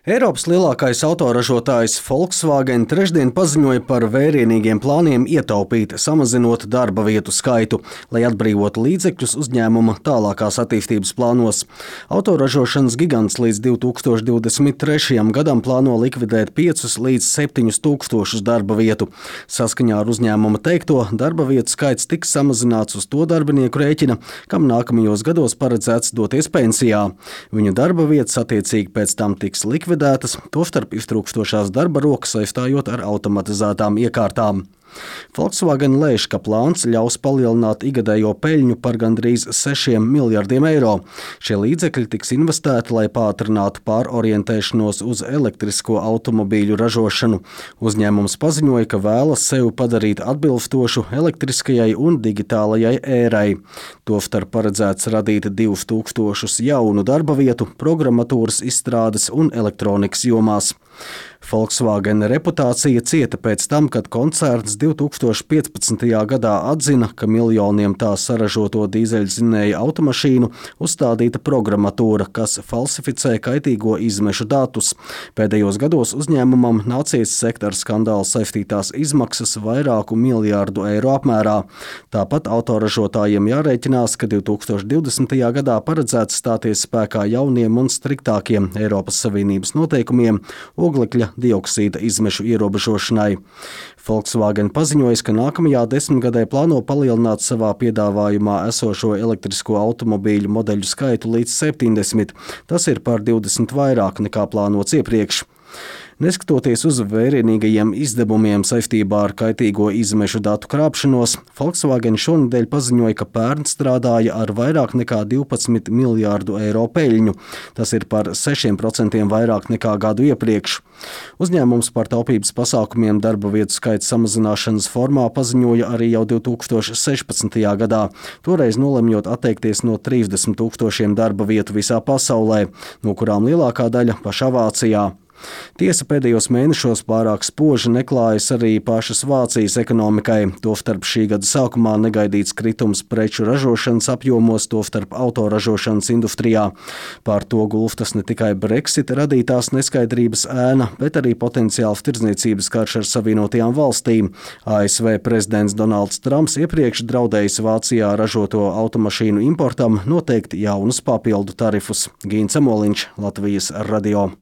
Eiropas lielākais autoražotājs Volkswagen trešdien paziņoja par vērienīgiem plāniem ietaupīt, samazinot darba vietu skaitu, lai atbrīvotu līdzekļus uzņēmuma tālākās attīstības plānos. Autoražošanas gigants līdz 2023. gadam plāno likvidēt 5 līdz 7 tūkstošus darba vietu. Saskaņā ar uzņēmuma teikto, darba vietu skaits tiks samazināts uz to darbinieku rēķina, kam nākamajos gados paredzēts doties pensijā. Viņu darba vietas attiecīgi pēc tam tiks likvidētas, tostarp iztrūkstošās darba rokas saistājot ar automatizētām iekārtām. Volkswagen lēš, ka plāns ļaus palielināt igadējo peļņu par gandrīz 6 miljardiem eiro. Šie līdzekļi tiks investēti, lai pātrinātu pārorientēšanos uz elektrisko automobīļu ražošanu. Uzņēmums paziņoja, ka vēlas sevi padarīt atbilstošu elektriskajai un digitālajai ērai. Tostarp paredzēts radīt 2000 jaunu darba vietu programmatūras izstrādes un elektronikas jomās. Volkswagen reputācija cieta pēc tam, kad koncerns 2015. gadā atzina, ka miljoniem tā saražoto dīzeļdzinēja automašīnu uzstādīta programmatūra, kas falsificē kaitīgo izmešu datus. Pēdējos gados uzņēmumam nācies sekt ar skandālu saistītās izmaksas vairāku miljārdu eiro apmērā. Tāpat autoražotājiem jārēķinās, ka 2020. gadā paredzēts stāties spēkā jauniem un striktākiem Eiropas Savienības noteikumiem oglekļa dioksīda izmešu ierobežošanai. Volkswagen paziņoja, ka nākamajā 10 gadē plāno palielināt savā piedāvājumā esošo elektrisko automobīļu modeļu skaitu līdz 70. Tas ir par 20 vairāk nekā plānots iepriekš. Neskatoties uz vērienīgajiem izdevumiem saistībā ar kaitīgo izmešu datu krāpšanos, Volkswagen šonedēļ paziņoja, ka pērn strādāja ar vairāk nekā 12 miljārdu eiro peļņu. Tas ir par 6% vairāk nekā gadu iepriekš. Uzņēmums par taupības pasākumiem darba vietu skaita samazināšanas formā paziņoja arī jau 2016. gadā, toreiz nolemjot atteikties no 30 000 darba vietu visā pasaulē, no kurām lielākā daļa pašā Vācijā. Tiesa pēdējos mēnešos pārāk spoži neklājas arī pašas Vācijas ekonomikai. Tostarp šī gada sākumā negaidīts kritums preču ražošanas apjomos, tostarp autoražošanas industrijā. Pār to gulstas ne tikai Brexit radītās neskaidrības ēna, bet arī potenciāls tirdzniecības karš ar Savienotajām valstīm. ASV prezidents Donalds Trumps iepriekš draudējis Vācijā ražoto automašīnu importam noteikt jaunus papildu tarifus. Gīns Amoliņš, Latvijas radio.